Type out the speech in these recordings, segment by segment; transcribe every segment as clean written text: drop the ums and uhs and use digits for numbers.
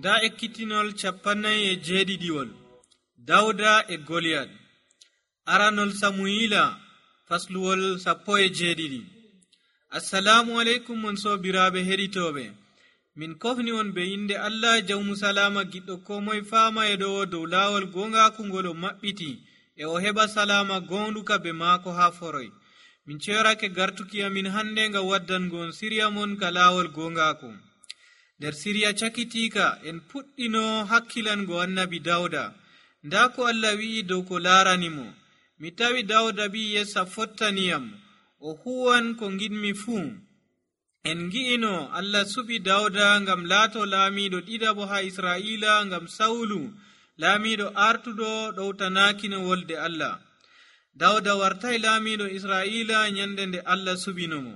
nda ekkitinol 47 dawda e goliyat. aranol samuyila fasluwol 17. assalamu aleykum mon sobiraɓe heɗitoɓe, min kofni on be inde allah jawmu salama giɗɗo ko moye fama e ɗo dow lawol gongaku ngol o maɓɓiti e o heɓa salama gonduka be maako ha foroy. min cerake gartuki amin hande ngam waddangon siriya mon ka lawol gongaku. nder siriya cakitika en puɗɗino hakkilango annabi dawda. nda ko allah wi'i dow ko laranimo: mi tawi dawda bi yessa fottaniyam, o huwan ko giɗmi fuu. en gi'ino allah suɓi dawda ngam laato laamiɗo ɗiɗaɓo ha israila, ngam sawlu laamiɗo artuɗo ɗowtanakino wolde allah. dawda wartai laamiɗo israila nyande nde allah suɓinomo.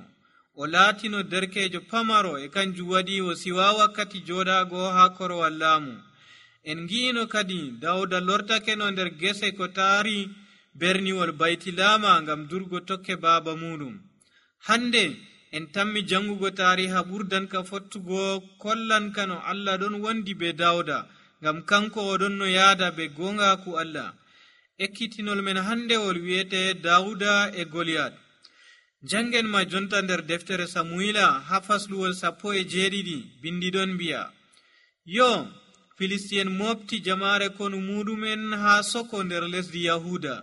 o laatino derkejo pamaro, e kanjum waɗi o siwa wakkati joɗago ha korowal laamu. en gi'ino kadi dawda lortakeno nder gese ko taari berniwol baytilama ngam durgo tokke baaba muɗum. hande en tammi jangugo tariha ɓurdanka fottugo kollanka no allah ɗon wondi be dawda, ngam kanko o ɗon no yaada be gongaku allah. ekkitinol men handewol wi'ete dawda e goliyat. jangen ma jonta nder deftere samuyila ha fasluwol 17 bindiɗon mbi'a: yo filistien mofti jamare konu muɗumen ha soko nder lesdi yahuda.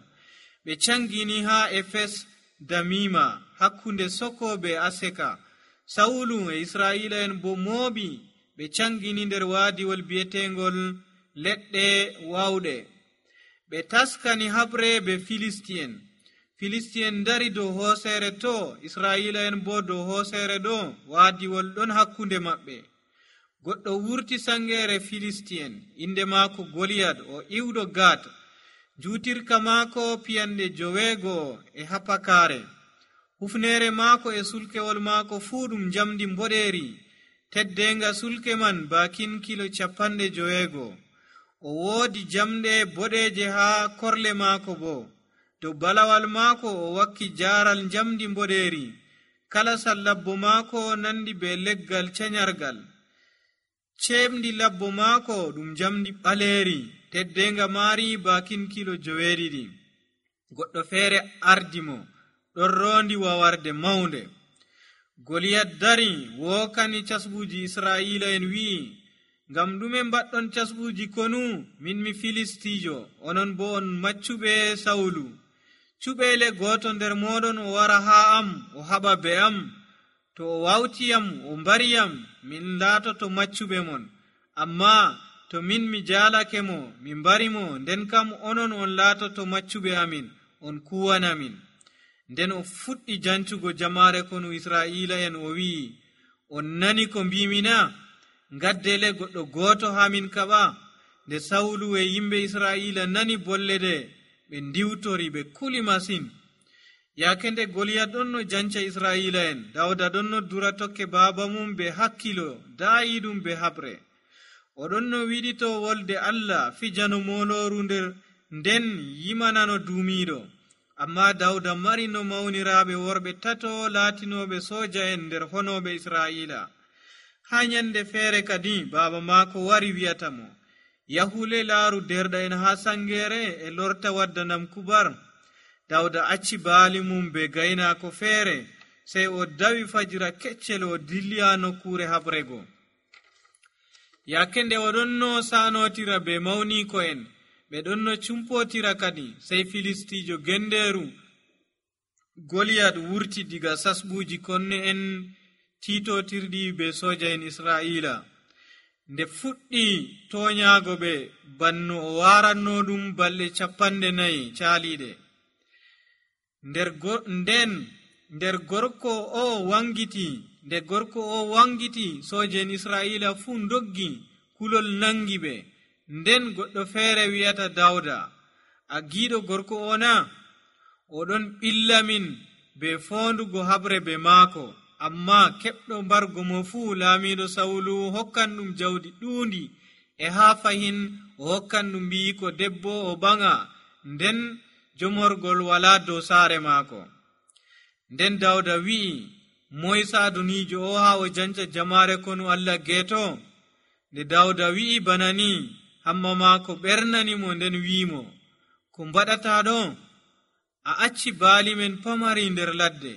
ɓe cangini ha efes damima hakkunde soko be aseka. sawulu e israila en bo mooɓi ɓe cangini nder waadiwol bi'etengol leɗɗe wawɗe. ɓe taskani habre be filistien dari dow hoosere to, israila en bo dow hoosere ɗo. waadiwol ɗon hakkunde maɓɓe. goɗɗo wurti sangere filistien, inde maako goliyat, o iwɗo gat. juutirka maako piyanɗe 9 e hapakare. hufnere maako e sulkewol maako fuu ɗum jamdi mboɗeri. teddenga sulke man bakin kilo 50. o woodi jamɗe boɗeje ha korle maako bo. dow balawal maako o wakki jaral jamdi mboɗeri. kala sallabbo maako nandi be leggal canyargal. cemdi labbo maako ɗum jamdi ɓaleri. teddenga maari bakin kilo 9. goɗɗo feere ardimo ɗon rondi wawarde mawnde. goliyat dari wokani casbuji israila en wi'i: ngam ɗume mbaɗɗon casbuji konu? min mi filistijo, onon bo on maccuɓe sawlu. cuɓele goto nder moɗon o wara ha am o haɓa be am. to o wawtiyam o mbariyam, min laatoto maccuɓe mon. amma to min mi jaalake mo, mi mbarimo, nden kam onon on laatoto maccuɓe amin, on kuwanamin. nden o fuɗɗi jancugo jamare konu israila en o wi'i: on nani ko mbimina? ngaddele goɗɗo goto ha min kaɓa. nde sawlu e yimɓe israila nani bolle ɗe, ɓe ndiwtori, ɓe kuli masin. yaake nde goliyat ɗon no janca israila en, dawda ɗon no dura tokke baaba mum be hakkilo daayiɗum be habre. oɗon no wiɗito wolde allah, fijano moloru nden yimanano duumiɗo. amma dawda mari no mawniraɓe worɓe 3 laatinoɓe soja en nder honoɓe israila. ha nyande feere kadi baaba maako wari wi'atamo: yahule laaru derɗa en ha sangere e lorta waddanam kubar. dawda acci baali mum be gaynako feere, sey o dawi fajira keccel o dilliya nokkure habrego. yaake nde oɗon no sanotira be mawniko en, ɓe ɗon no cumpotira kadi, sey filistijo genderu goliyat wurti diga sasɓuji konne en titotirɗi be soja en israila. nde fuɗɗi toñaago ɓe banno o waranno ɗum balɗe 40 caaliɗe. nder gorko o wangiti soja en israila fuu doggi, kulol nangi ɓe. nden goɗɗo feere wi'ata dawda: a giiɗo gorko o na? oɗon ɓillamin be fondugo habre be maako. amma keɓɗo mbargo mo fuu laamiɗo sawlu hokkan ɗum jawdi ɗuundi, e haa fahin o hokkan ɗum mbiyiko debbo o ɓaŋa, nden jomorgol wala dow saare maako. nden dawda wi'i: moye saadunijo o haa o janca jamaare konu allah geeto? nde Dawda wi'i bana ni, hamma maako ɓernanimo nden wi'imo, ko mbaɗata ɗo? A acci baali men pamari nder ladde,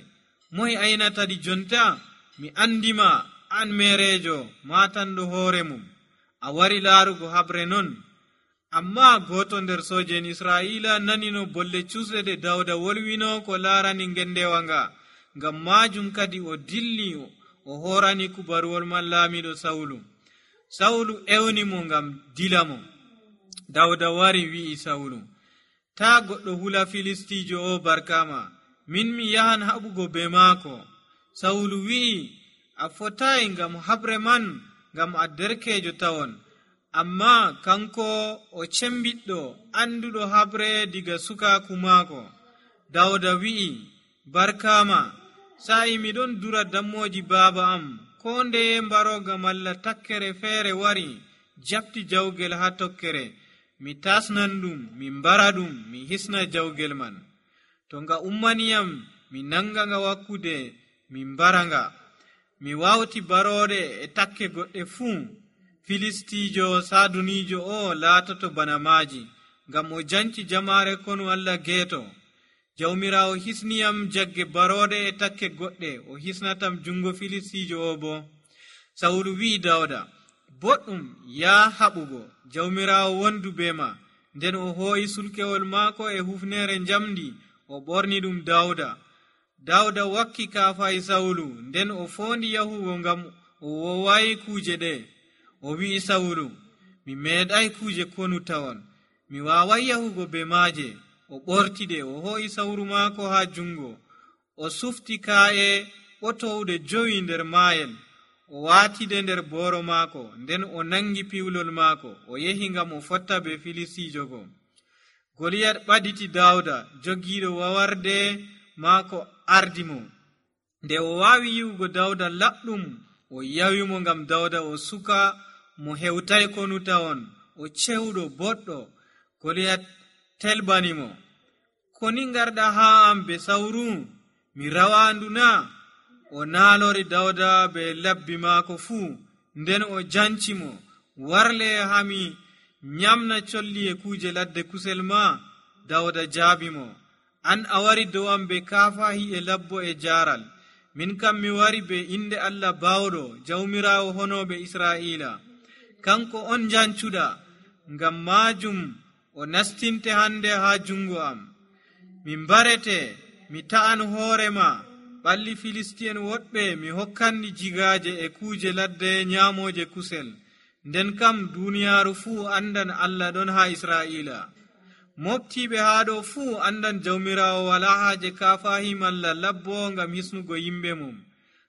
moye aynatadi jonta? Mi andima, an mereejo matanɗo hoore mum, a wari laarugo habre non. Amma goto nder sooje'en Israa'ila nanino bolle cusɗe ɗe Dawda wolwino ko laarani ngendewa nga, ngam majum kadi o dilli o horani kubaruwol man laamiɗo Sawulu ewni mo ngam dilamo. Dawda wari wi'i Sawulu, ta goɗɗo hula Filistijo o barkama, min mi yahan haɓugo be maako. Sawulu wi'i, a fotayi ngam habre man, ngam a derkejo tawon, amma kanko o cembiɗɗo anduɗo habre diga sukaku maako. Dawda wi'i, barkama, sa'i miɗon dura dammoji baaba am, ko ndeye mbaroga malla takkere feere wari jabti jawgel ha tokkere, mi tasnan ɗum, mi mbara ɗum, mi hisna jawgel man. To nga ummaniyam, mi nanga nga wakkude, mi mbara nga. Mi wawti barode e takke goɗɗe fuu. Filistijo sadunijo o laatoto bana maaji, ngam o janci jamaare konu Allah geeto. Jawmirawo hisniyam jagge barode e takke goɗɗe, o hisnatam jungo Filistijo o bo. Sawulu wi'i Dawda, boɗɗum, yaa haɓugo, jawmirawo wondu be ma. Nden o hooyi sulkewol maako e hufnere njamdi, o ɓorni ɗum Dawda wakki kaafayi Sawulu, nden o foondi yahugo ngam o wowayi kuuje ɗe. O wi'i Sawulu, mi meeɗay kuuje konu tawon, mi waaway yahugo be maaje. O ɓortiɗe, o hoo'i sawru maako ha jungo, o sufti kaa'e ɓotowɗe 5 nder maayel, o waatide nder booro maako, nden o nangi piwlol maako, o yehi ngam o fotta be Filistijo go. Goliyat ɓaditi Dawda, jogiiɗo wawarde maako ardi mo. Nde o waawi yi'ugo Dawda laɓɗum, o yawimo ngam Dawda o suka mo hewtay konu tawon, o cewɗo boɗɗo. Goliyat telbanimo, koni ngarɗa haa am be sawru? Mi rawandu na? O naalori Dawda be labbi maako fuu, nden o jancimo, warle hami nyamna colli e kuuje ladde kusel ma. Dawda jaabimo, an a wari dow am be kaafahi e labbo e jaaral, min kam mi wari be inde Allah bawɗo, jawmirawo honoɓe Israa'ila. Kanko on jancuɗa, ngam majum o nastinte hande ha jungo am. Mi mbarete, mi ta'an hoorema, ɓalli Filistiyen woɗɓe mi hokkanni jigaaje e kuuje ladde nyaamoje kusel. Nden kam duniyaaru fuu andan Allah ɗon ha Israa'ila. Moftiɓe haa ɗo fuu andan jawmirawo wala haaje kaafahi malla labbo ngam hisnugo yimɓe mum.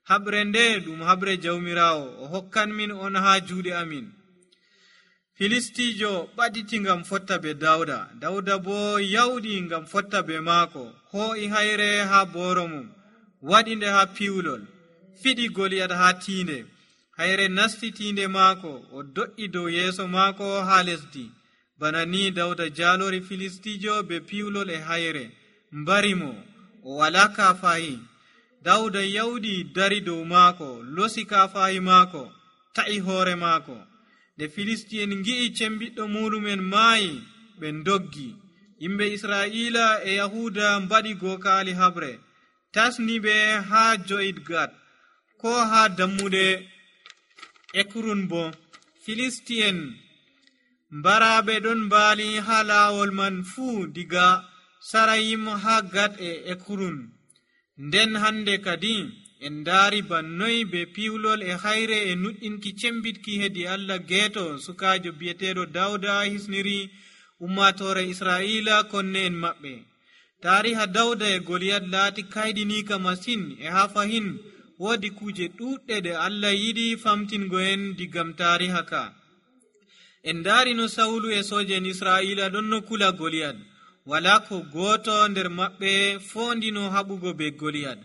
Habre nde ɗum habre jawmirawo, o hokkan min on ha juuɗe amin. Filistijo ɓaditi ngam fotta be Dawda bo yawɗi ngam fotta be maako, hoo'i hayre ha booro mum, waɗi nde ha piwlol, fiɗi Goliyat ha tiinde. Hayre nasti tiinde maako, o do'i dow yeeso maako ha lesdi. Bana ni Dawda jaalori Filistijo be piwlol e hayre, mbari mo, o wala kaafahi. Dawda yawɗi dari dow maako, losi kaafahi maako, ta'i hoore maako. Nde Filistiyen ngi'i cembiɗɗo muɗumen maayi, ɓe ndoggi. Yimɓe Israa'ila e Yahuda mbaɗi gookaali habre, tasni ɓe haa Jo'idgat, ko haa dammuɗe Ekrun bo. Filistiyen mbaraaɓe ɗon mbaali haa laawol man fuu, diga Sarayim haa Gat e Ekrun. Nden hande kadi en ndaari bannoy be piwlol e hayre e nuɗɗinki cembitki hedi Allah geeto sukaajo bi'eteeɗo Dawda hisniri ummatore Israa'ila konne en maɓɓe. Taariha Dawda e Goliyat laati kayɗiniika masin, e haa fahin woodi kuuje ɗuuɗɗe ɗe Allah yiɗi famtingo en digam taariha ka. En ndaari no Sawulu e sooje'en Israa'ila ɗon no kula Goliyat. Wala ko gooto nder maɓɓe foondino haɓugo be Goliyat.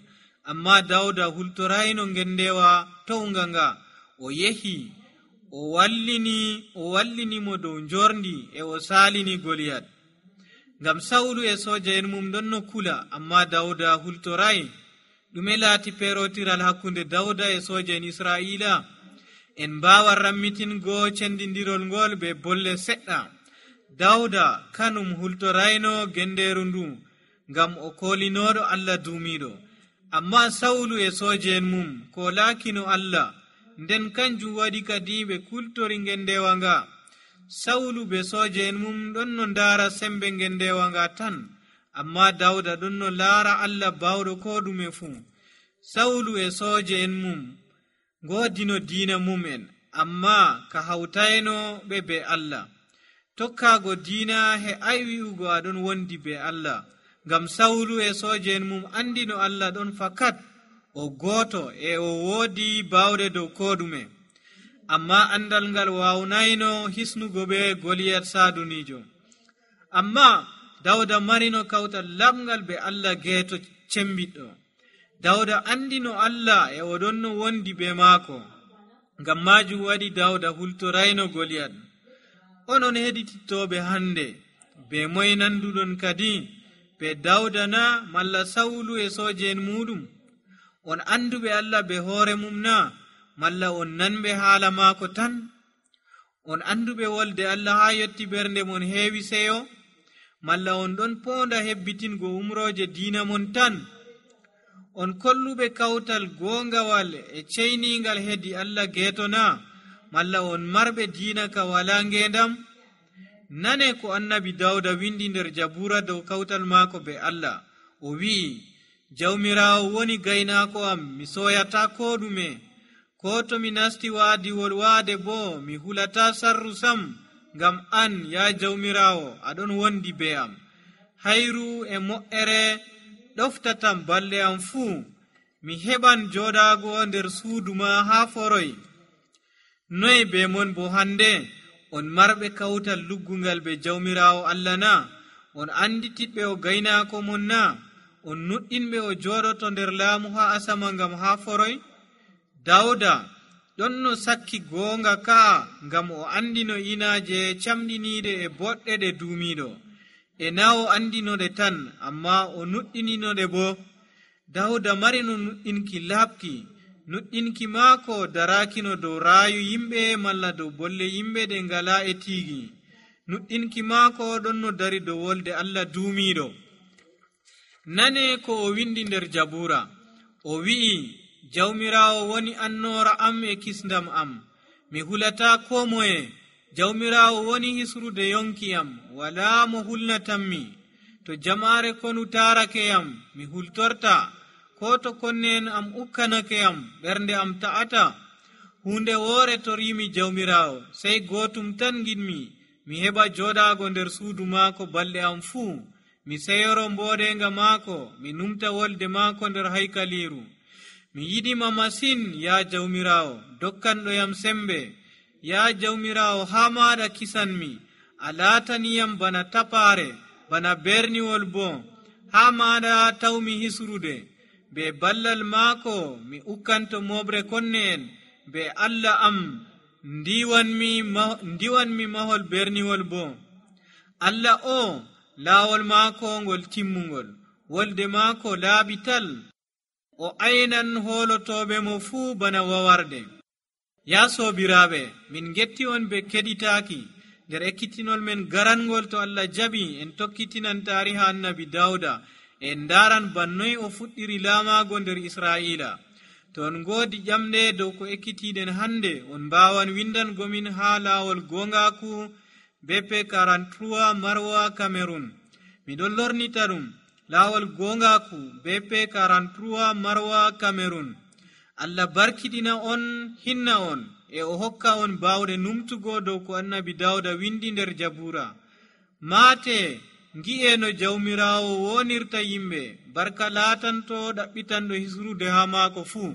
Amma Dawda hultorayno ngendewa townga nga, o yehi o wallinimo dow njorndi e o saalini Goliyat. Ngam Sawulu e sooje'en mum ɗon no kula, amma Dawda hultoray. Ɗume laati peerotiral hakkunde Dawda e sooje'en Israa'ila? en mbawa rammitingo cendindirol ngol be bolle seɗɗa. Dawda kanum hultorayno genderu ndu ngam o kolinoɗo Allah duumiɗo, amma Sawlu e sooje'en mum kolakino Allah, nden kanjum waɗi kadi ɓe kultori ngendewa nga. Sawlu be sooje'en mum ɗon no ndaara sembe ngendewa nga tan, amma Dawda ɗon no laara Allah bawɗo ko ɗume fuu. Sawlu e sooje'en mum ngoodino diina mum'en, amma ka hawtayno ɓe be Allah. Tokkaago diina he ay wi'ugo aɗon wondi be Allah, ngam Sawlu e sooje'en mum andino Allah ɗon fakat o gooto e o woodi bawɗe dow ko ɗume. Amma andal ngal wawnayno hisnugo ɓe Goliyat saadunijo. Amma Dawda marino kawtal lamngal be Allah geeto cembiɗɗo. Dawda andino Allah e oɗon no wondi be maako, ngam majum waɗi Dawda hultorayno Goliyat. Onon heɗitittoɓe hande, be moye nanduɗon kadi, be Dawda na malla Sawlu e sooje'en muɗum? On anduɓe Allah be hoore mum na, malla on nanɓe haala maako tan? On anduɓe wolde Allah haa yotti ɓernde mon heewi seyo, malla on ɗon poonda hebbitingo umroje diina mon tan? On kolluɓe kawtal goongawal e ceyningal hedi Allah geeto na, malla on marɓe diina ka wala ngendam? Nane ko annabi Dawda windi nder Jabura dow kawtal maako be Allah. O wi'i, Jawmirawo woni gaynaako am, mi soyata ko ɗume. Ko to mi nasti waadiwol waade bo mi hulata sarru sam, ngam an ya Jawmirawo aɗon wondi be am. Hayru e mo'ere ɗoftatam balɗe am fuu, mi heɓan joɗaago nder suudu ma haa foroy. Noy be mon bo hande? On marɓe kawtal luggungal be Jawmirawo Allah na? On anditiɓɓe o gaynaako mon na? On nuɗɗinɓe o joɗoto nder laamu haa asama ngam haa foroy? Dawda ɗon no sakki goonga kaa, ngam o andino inaaje camɗiniiɗe e boɗɗe ɗe duumiiɗo. E na o andinoɗe tan, amma o nuɗɗininoɗe bo. Dawda marino nuɗɗinki laaɓki. Nuɗɗinki maako darakino dow raayu yimɓe malla dow bolle yimɓe ɗe ngala e tiigi. Nuɗɗinki maako ɗon no dari dow wolde Allah duumiiɗo. Nane ko o windi nder Jabura. O wi'i, Jawmirawo woni annoora am e kisndam am, mi hulata ko moye. Jawmirawo woni hisrude yonki am, wala mo hulnatanmi. To jamaare konu taarake am, mi hultorta. Ko to konnen am ukkanake am, ɓernde am ta'ata. Hunde woore torimi Jawmirawo, sey gootum tan giɗmi, mi heɓa joɗaago nder suudu maako balɗe am fuu. Mi seyoro mbooɗenga maako, mi numta wolde maako nder haykaliru. Mi yiɗima masin, ya Jawmirawo, dokkanɗoyam sembe. Ya Jawmirawo, haa maɗa kisanmi, a laataniyam bana tapaare, bana berniwol bo. Haa maɗa tawmi hisrude. Be ballal maako mi ukkanto moɓre konne en. Be Allah am ndiwanmi mahol berniwol bo. Allah o laawol maako ngol timmungol, wolde maako laaɓi tal. O aynan hoolotoɓe mo fuu bana wawarde. Ya soobiraaɓe, min getti on be keɗitaaki nder ekkitinol men garangol to Allah jaɓi en tokkitinan taariha annabi Dawda en ndaran bannoy o fuɗɗiri laamaago nder Israa'ila. To on ngoodi ƴamɗe dow ko ekkitiɗen hande, on mbaawan windangomin haa laawol goongaaku BP 43 Marwa Cameroon. Miɗon lornita ɗum, laawol goongaaku BP 43 Marwa Cameroon. Allah barkiɗina on, hinna on, e o hokka on baawɗe numtugo dow ko annabi Dawda windi nder Jabura. Maate ngi'e no Jawmirawo wonirta yimɓe, barka laatanto ɗaɓɓitanɗo hisrude haa maako fuu.